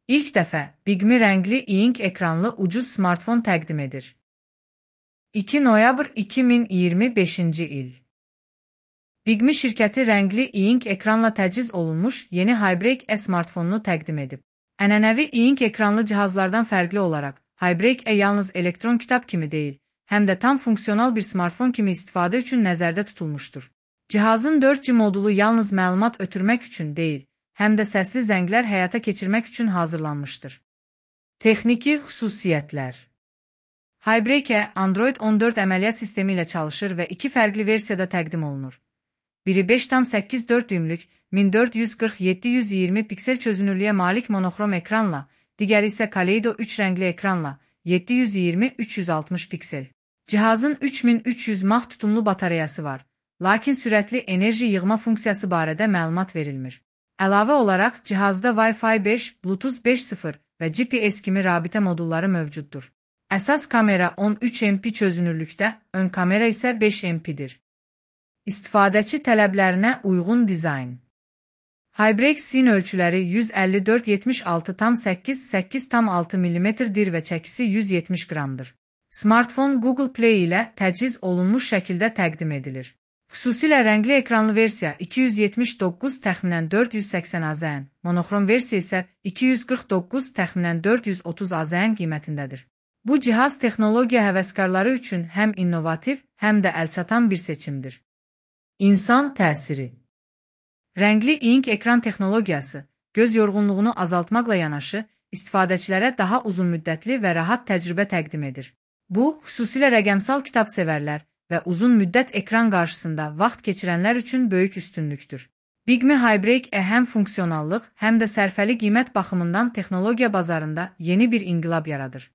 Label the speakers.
Speaker 1: İlk dəfə Bigme rəngli e-ink ekranlı ucuz smartfon təqdim edir. 2 noyabr 2025-ci il. Bigme şirkəti rəngli e-ink ekranla təchiz olunmuş yeni Hybreak E smartfonunu təqdim edib. Ənənəvi e-ink ekranlı cihazlardan fərqli olaraq, Hybreak E yalnız elektron kitab kimi deyil, həm də tam funksional bir smartfon kimi istifadə üçün nəzərdə tutulmuşdur. Cihazın 4G modulu yalnız məlumat ötürmək üçün deyil, həm də səsli zənglər həyata keçirmək üçün hazırlanmışdır. Texniki xüsusiyyətlər. Hybreak E Android 14 əməliyyat sistemi ilə çalışır və iki fərqli versiyada təqdim olunur. Biri 5,84 düymlük 1440x720 piksel çözünürlüyə malik monoxrom ekranla, digəri isə Kaleido 3 rəngli ekranla 720x360 piksel. Cihazın 3300 mAh tutumlu batareyası var, lakin sürətli enerji yığma funksiyası barədə məlumat verilmir. Əlavə olaraq, cihazda Wi-Fi 5, Bluetooth 5.0 və GPS kimi rabitə modulları mövcuddur. Əsas kamera 13 MP çözünürlükdə, ön kamera isə 5 MP-dir. İstifadəçi tələblərinə uyğun dizayn. Hybreak sin ölçüləri 154-76,8,6 mm-dir və çəkisi 170 qramdır. Smartfon Google Play ilə təchiz olunmuş şəkildə təqdim edilir. Xüsusilə rəngli ekranlı versiya 279 təxminən 480 AZN, monoxrom versiya isə 249 təxminən 430 AZN qiymətindədir. Bu cihaz texnologiya həvəskarları üçün həm innovativ, həm də əlçatan bir seçimdir. İnsan təsiri. Rəngli e-ink ekran texnologiyası, göz yorğunluğunu azaltmaqla yanaşı, istifadəçilərə daha uzun müddətli və rahat təcrübə təqdim edir. Bu, xüsusilə rəqəmsal kitab sevərlər və uzun müddət ekran qarşısında vaxt keçirənlər üçün böyük üstünlükdür. Bigme Hybreak E həm funksionallıq, həm də sərfəli qiymət baxımından texnologiya bazarında yeni bir inqilab yaradır.